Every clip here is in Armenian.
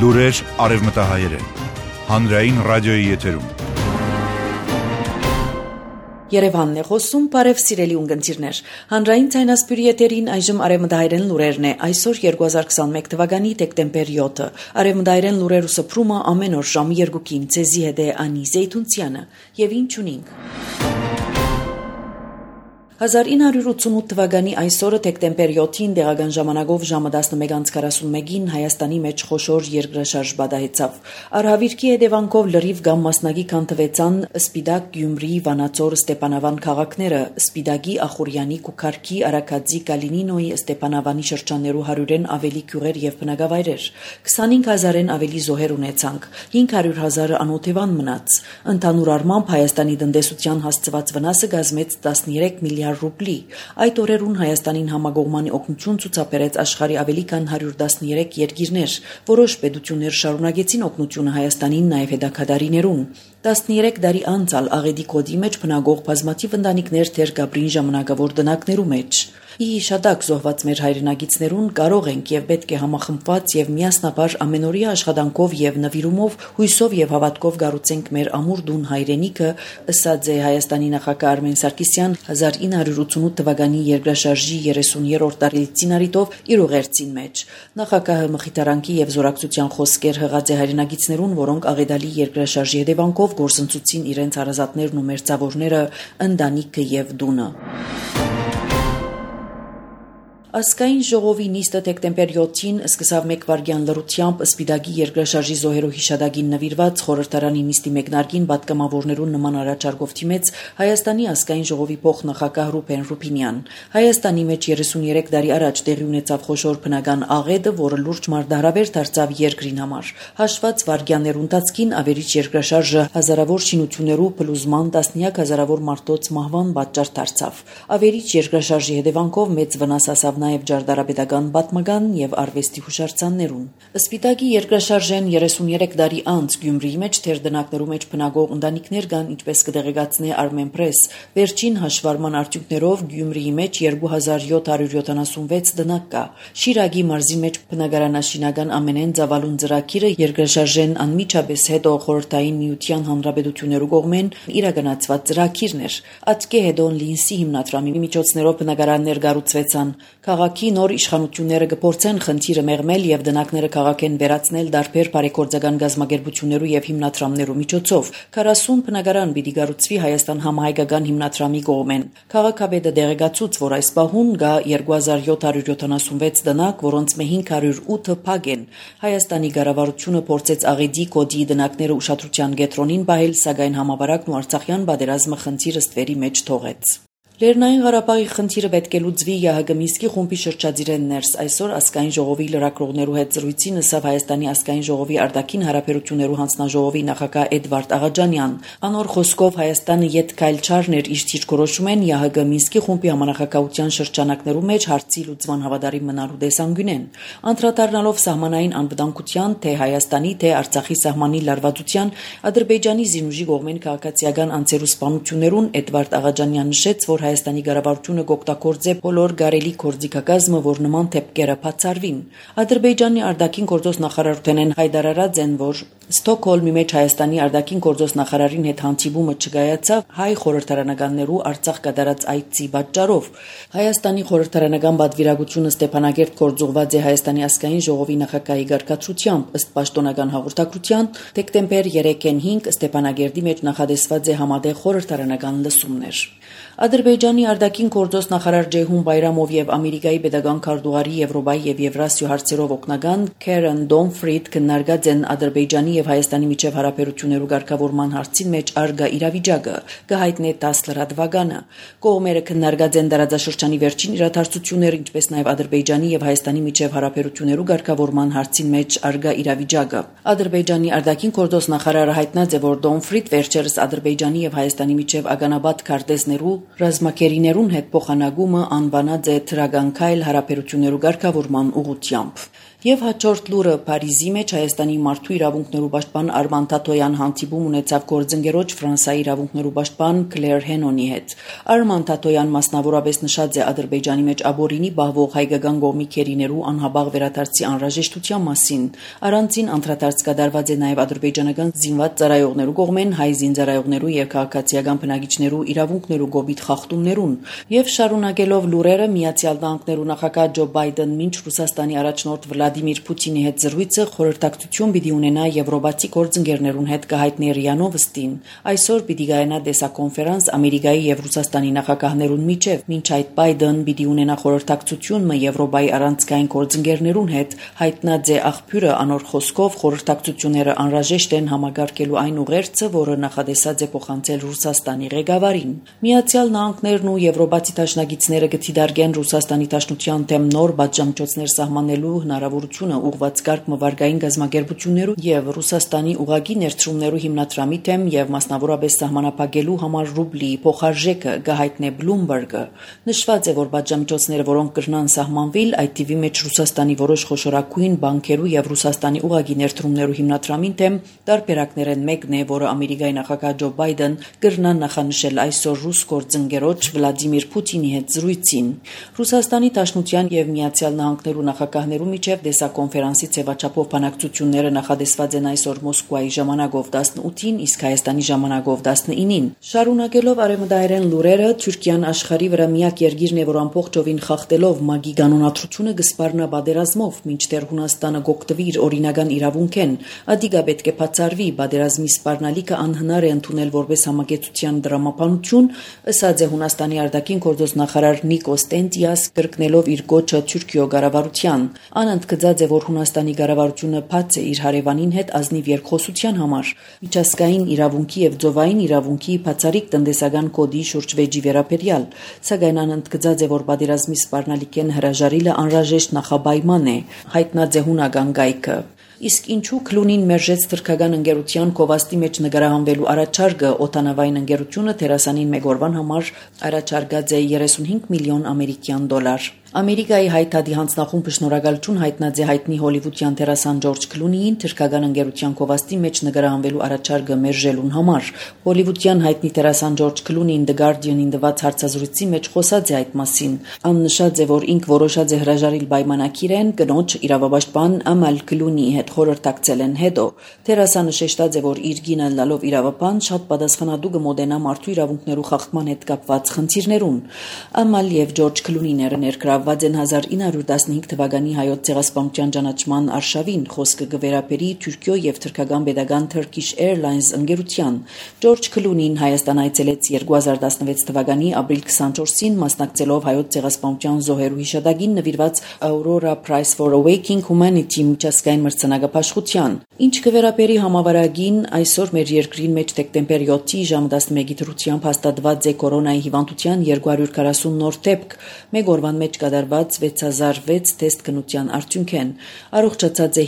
Լուրեր արևմտահայերեն։ Հանրային ռադիոյի եթերում։ Երևանն է խոսում, բարև սիրելի ունգընտիրներ։ Հանրային ցայնասպյուրի եթերին այժմ արևմտահայերեն լուրերն է։ Այսօր 2021 թվականի դեկտեմբեր 7-ը։ Արևմտահայերեն լուրերու սփռումը ամեն օր ժամը 2-ին ցեզի հետ է Անի Զեյթունցյանը։ Եվ ինչ ունենք։ 1988 թվականի այսօրը դեկտեմբեր 7-ին դեղական ժամանակով ժամը 11:41-ին Հայաստանի մեջ խոշոր երկրաշարժ բադահեցավ։ Արհավիրքի հետևանքով լրիվ կամ մասնակի կանտվեցան Սպիտակ, Գյումրի, Վանաձոր, Ստեփանավան քաղաքները, Սպիտակի, Ախուրյանի, Կուքարքի, Արաքածի, Կալինինոյի, Ստեփանավանի շրջաններու 100-ն ավելի գյուղեր եւ բնակավայրեր։ 25000-ն ավելի զոհեր ունեցանք, 500,000-ը անօթևան մնաց։ Ընդհանուր առմամբ Հայաստանի տնտեսության հասցված վնասը կազմեց 13 միլիարդ ռուբլի։ Այդ օրերուն Հայաստանին համագողմանի օգնություն ցուցաբերեց աշխարհի ավելի քան 113 երկիրներ։ Որոշ պետություններ շարունակեցին օգնությունը Հայաստանին նաև հետաքադարիներուն։ 13 տարի անցալ աղետի կոդի մեջ բնագող բազմաթիվ ընտանիքներ թեր գաբրին ժամանակավոր դնակներու մեջ։ Ի հիշադակ զոհված մեր հայրենագիցներուն կարող ենք եւ պետք է համախմբված եւ միասնաբար ամենօրյա աշխատանքով եւ նվիրումով հույսով եւ հավատքով գառուցենք մեր ամուր դուն հայրենիքը, ըսած է Հայաստանի նախագահ Արմեն Սարգսյան 1988 թվականի երկրաշարժի 30-րդ տարելիցին առիթով իր ուղերձին մեջ։ Նախագահը մխիթարանքի եւ զորակցության խոսքեր հղած է հայրենագիցներուն, որոնք աղետալի երկրաշարժի հետևանքով գործընծուցին իրենց հարազատներն ու մերձավորները, ընտանիքը եւ դունը։ Ազգային ժողովի նիստը դեկտեմբեր 7-ին սկսավ 1 վայրկյան լրությամբ Սպիտակի երկրաշարժի զոհերու հիշադակին նվիրված խորհրդարանի նիստի մեկնարկին պատգամավորներուն նման առաջարկով թիմեց Հայաստանի ազգային ժողովի փոխնախագահ Ռուբեն Ռուբինյան։ Հայաստանի մեջ 33 տարի առաջ տեղի ունեցավ խոշոր բնական աղետը, որը լուրջ մարտահրավեր դարձավ երկրին համար։ Հաշված վայրկյաններու ընթացքին ավերիչ երկրաշարժը հազարավոր շինություններու փլուզման, տասնյակ հազարավոր մարդոց մահվան պատճառ դարձավ։ Ավերիչ երկրաշարժի հետևանքով մեծ վնաս հասավ նաև ջարդարապետական պատմական եւ արվեստի հուշարձաններուն։ Սպիտակի երկրաշարժեն 33 տարի անց Գյումրիի մեջ թեր դնակներու մեջ բնագող ընտանիքներ կան, ինչպես կդեղեկացնի Armenpress։ Վերջին հաշվառման արդյունքներով Գյումրիի մեջ 2776 դնակ կա։ Շիրակի մարզի մեջ բնակարանաշինական ամենեն ծավալուն ծրագիրը երկրաշարժեն անմիջապես հետո խորհրդային միության հանրապետություններու կողմեն իրականացված ծրագիրն էր։ Ատկե հետոն Լինսի հիմնադրամի միջոցներով բնակարաններ կառուցվեցան։ Քաղաքի նոր իշխանությունները կփորձեն խնդիրը մեղմել եւ դնակները քաղաքեն վերացնել դարբեր բարեգործական գազམ་ագերբություններու եւ հիմնադրամներու միջոցով։ 40 բնակարան պիտի կառուցվի Հայաստան համահայկական հիմնադրամի կողմեն։ Քաղաքապետը դեղեկացուց, որ այս պահուն կա 2776 դնակ, որոնց մե 508-ը փակ են։ Հայաստանի կառավարությունը փորձեց աղետի կոդի դնակները ուշադրության կենտրոնին բահել, սակայն համավարակն ու Արցախյան պատերազմը խնդիրը ստվերի մեջ թողեց։ Լեռնային Ղարաբաղի խնդիրը պետք է լուծվի ՀՀԳ Մինսկի խումբի շրջադիրեն ներս։ Այսօր ազգային ժողովի լրագրողներու հետ զրույցին ըսավ Հայաստանի ազգային ժողովի արտաքին հարաբերություններու հանձնաժողովի նախագահ Էդվարդ Աղաջանյան։ Անոր խոսքով Հայաստանը յետ քայլ չարներ իր ճիշտորոշումեն ՀՀԳ Մինսկի խումբի համանախագահության շրջանակներու մեջ հարցի լուծման հավատարիմ մնալու դեսանգյունեն։ Անդրադառնալով սահմանային անվտանգության, թե Հայաստանի, թե Արցախի սահմանի լարվածության, Ադրբեջանի զինուժի կողմեն քաղաքացիական անձերու սպանություններուն Էդվարդ Աղաջանյան նշեց, որ Հայաստանի կառավարությունը կօգտագործե բոլոր գարելի գործիքակազմը, որ նման դեպքերը բացառվին։ Ադրբեջանի արտաքին գործոս նախարարութենեն հայտարարած են, որ Ստոկհոլմի մեջ Հայաստանի արտաքին գործոս նախարարին հետ հանդիպումը չկայացավ հայ խորհրդարանականներու Արցախ կատարած այցի պատճառով։ Հայաստանի խորհրդարանական պատվիրակությունը Ստեփանագերտ գործուղված է Հայաստանի ազգային ժողովի նախագահի գարկացությամբ, ըստ պաշտոնական հաղորդակցության, դեկտեմբեր 3-ին 5 Ստեփանագերտի մեջ նախադեсված է համատեղ խորհրդարանական լսումներ։ Ադրբեջանի արտաքին գործոս նախարար Ջեյհուն Բայրամով եւ Ամերիկայի պետական քարտուղարի Եվրոպայի եւ Եվրասիա հարցերով օգնական Քերեն Դոնֆրիդ քննարկած են Ադրբեջանի եւ Հայաստանի միջև հարաբերություններու ղեկավարման հարցին մեջ արգա իրավիճակը, կհայտնի 10 լրատվականը։ Կողմերը քննարկած են տարածաշրջանի վերջին իրադարձությունները, ինչպես նաեւ Ադրբեջանի եւ Հայաստանի միջև հարաբերություններու ղեկավարման հարցին մեջ արգա իրավիճակը։ Ադրբեջանի արտաքին գործոս նախարարը հայտնած է, որ Դոնֆրիդ վերջերս Ադրբեջանի եւ Հայաստանի միջև ականաբադ քարտեզներու ռազմակերիներուն հետ փոխանակումը անվանած է թրագանքայլ հարաբերություններու ղեկավարման ուղղությամբ։ Եվ հաջորդ լուրը Փարիզի մեջ Հայաստանի մարդու իրավունքներու պաշտպան Արման Թաթոյան հանդիպում ունեցավ գործընկերոջ Ֆրանսիայի իրավունքներու պաշտպան Քլեր Հենոնի հետ։ Արման Թաթոյան մասնավորապես նշած է Ադրբեջանի մեջ աբորինի բահվող հայկական կողմի քերիներու անհաբաղ վերադարձի անհրաժեշտության մասին։ Առանցին անդրադարձ կատարված է նաև ադրբեջանական զինված ծառայողներու կողմեն հայ զինծառայողներու եւ քաղաքացիական բնակիչներու իրավունքներու գոբիտ խախտումներուն եւ շարունակելով լուրերը Միացյալ Նահանգներու նախագահ Ջո Բայդեն մինչ Ռուսաստանի առաջնորդ Վլադիմիր Պուտինի հետ զրույցը խորհրդակցություն պիտի ունենա եվրոպացի գործընկերներուն հետ կհայտնի ՌԻԱ Նովոստին։ Այսօր պիտի գայանա դեսակոնֆերանս Ամերիկայի եւ Ռուսաստանի նախագահներուն միջև, մինչ այդ Բայդեն պիտի ունենա խորհրդակցություն Եվրոպայի առանցքային գործընկերներուն հետ, հայտնած է աղբյուրը անոր խոսքով խորհրդակցությունները անհրաժեշտ են համագարկելու այն ուղերձը, որը նախադեсած է փոխանցել Ռուսաստանի ղեկավարին։ Միացյալ Նահանգներն ու եվրոպացի դաշնակիցները կթիդարգեն Ռուսաստանի դաշնության դեմ նոր բաժամիջոցներ սահմանելու հնարավորությունը ուղղված կարգ մվարգային գազམ་ագերբություններու եւ Ռուսաստանի ուղագի ներդրումներու հիմնադրամի դեմ եւ մասնավորապես սահմանափակելու համար ռուբլի փոխարժեքը գահիտնե Բլումբերգը։ Նշված է, որ բաժամիջոցները, որոնք կրնան սահմանվել, այդ թիվի մեջ Ռուսաստանի որոշ խոշորագույն բանկերու եւ Ռուսաստանի ուղագի ներդրումներու հիմնադրամին դեմ տարբերակներն մեկն է, որը Ամերիկայի նախագահ Ջո Բայդեն կրնան նախանշել այսօր ռուս գործընկերոջ Վլադիմիր Պուտինի հետ զրույցին։ Ռուսաստանի Դաշնության եւ Միացյալ Նահանգներու նախագահներու միջև դեսակոնֆերանսի ձևաչափով բանակցությունները նախադեсված են այսօր Մոսկվայի ժամանակով 18-ին, իսկ Հայաստանի ժամանակով 19-ին։ Շարունակելով արևմտահայերեն լուրերը, Թուրքիան աշխարհի վրա միակ երկիրն է, որ ամբողջովին խախտելով ՄԱԳ-ի կանոնադրությունը կսպառնա պատերազմով, մինչդեռ Հունաստանը գոկտվի իր օրինական իրավունքեն։ Ադիգա պետք է բացառվի, պատերազմի սպառնալիքը անհնար է ընդունել որպես համագեցության դրամապանություն, ըսած է Հունաստանի արտաքին գործոս նախարար Նիկոս Տենտիաս, կրկնելով իր գոչը Թուրքիո կառավարության։ Անընդգծած է, որ Հունաստանի կառավարությունը բաց է իր հարևանին հետ ազնիվ երկխոսության համար, միջազգային իրավունքի եւ ծովային իրավունքի բացառիկ տնտեսական կոդի շուրջ վեճի վերաբերյալ, սակայն անընդգծած է, որ պատերազմի սպառնալիքեն հրաժարիլը անհրաժեշտ նախապայման է, հայտնած է հունական գայքը։ Իսկ ինչու Քլունին մերժեց թրքական ընկերության Կովաստի մեջ նկարահանվելու առաջարկը, օտանավային ընկերությունը դերասանին մեկ օրվան համար առաջարկած է 35 միլիոն ամերիկյան դոլար։ Ամերիկայի հայտարարի հանձնախումբը շնորհակալություն հայտնած է հայտնի հոլիվուդյան դերասան Ջորջ Քլունիին թրքական ընկերության Կովաստի մեջ նկարահանվելու առաջարկը մերժելուն համար։ Հոլիվուդյան հայտնի դերասան Ջորջ Քլունին The Guardian-ին տված հարցազրույցի մեջ խոսած է այդ մասին։ Աննշած է, որ ինք որոշած է հրաժարիլ պայմանագիրեն կնոջ իրավապաշտպան Ամալ Քլունիի հետ խորհրդակցել են հետո։ Դերասանը շեշտած է, որ իր գինը լալով իրավապան շատ պատասխանատու կմոտենա մարդու իրավունքներու խախտման հետ կապված խնդիրներուն։ Ամալ եւ Ջորջ Քլունիները ներկրավ 1915 թվականի հայոց ցեղասպանության ճանաչման արշավին, խոսքը կվերապերի Թուրքիո եւ թրքական pedagogan Turkish Airlines ընկերության։ Ջորջ Քլունին Հայաստան այցելեց 2016 թվականի ապրիլ 24-ին, մասնակցելով հայոց ցեղասպանության զոհերու հիշատակին նվիրված Aurora Prize for Awakening Humanity միջազգային մրցանակապաշխության։ Ինչ կվերապերի համավարակին, այսօր մեր երկրին մեջ դեկտեմբեր 7-ի ժամը 11-ի դրությամբ հաստատված է կորոնայի հիվանդության 240 նոր դեպք, մեկ օրվան մեջ կատարված 6006 թեստ քննության արդյունքեն, առողջացած է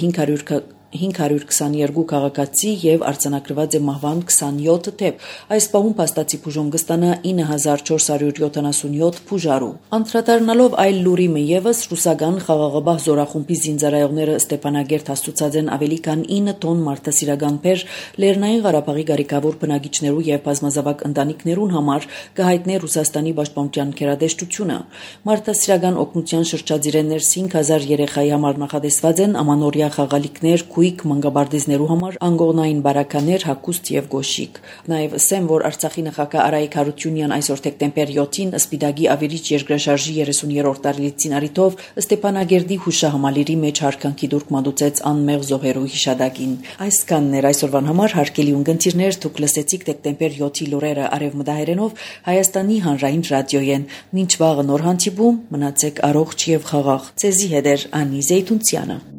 522 քաղաքացի եւ արձանագրված է մահվան 27 դեպք։ Այս պահում փաստացի բուժում կստանա 9477 բուժարու։ Անդրադառնալով այլ լուրի մը եւս ռուսական խաղաղապահ զորախումբի զինծառայողները Ստեփանագերտ հաստուցած են ավելի քան 9 տոն մարդասիրական բեր Լեռնային Ղարաբաղի գարիկավոր բնակիչներու եւ բազմազավակ ընտանիքներուն համար կհայտնի Ռուսաստանի պաշտպանության գերադեշտությունը։ Մարդասիրական օգնության շրջադիրեններ 5000 երեխայի համար նախադեсված են ամանորյա խաղալիքներ մանկաբարձներու համար անգողնային բարականեր, հագուստ եւ գոշիկ։ Նաեւ ասեմ, որ Արցախի նախագահ Արայիկ Հարությունյան այսօր դեկտեմբեր 7-ին Սպիտակի ավերիչ երկրաշարժի 30-րդ տարելիցին առիթով Ստեփանագերդի հուշահամալիրի մեջ հարկանքի դուրք մատուցեց անմեղ զոհերու հիշատակին։ Այսքանն էր այսօրվան համար հարգելի ունգընտիրներ, դուք լսեցիք դեկտեմբեր 7-ի լուրերը արևմտահայերենով Հայաստանի հանրային ռադիոյեն։ Մինչ վաղը նոր հանդիպում, մնացեք առողջ եւ խաղաղ։ Ձեզի հետ է Անի Զեյթունցյանը։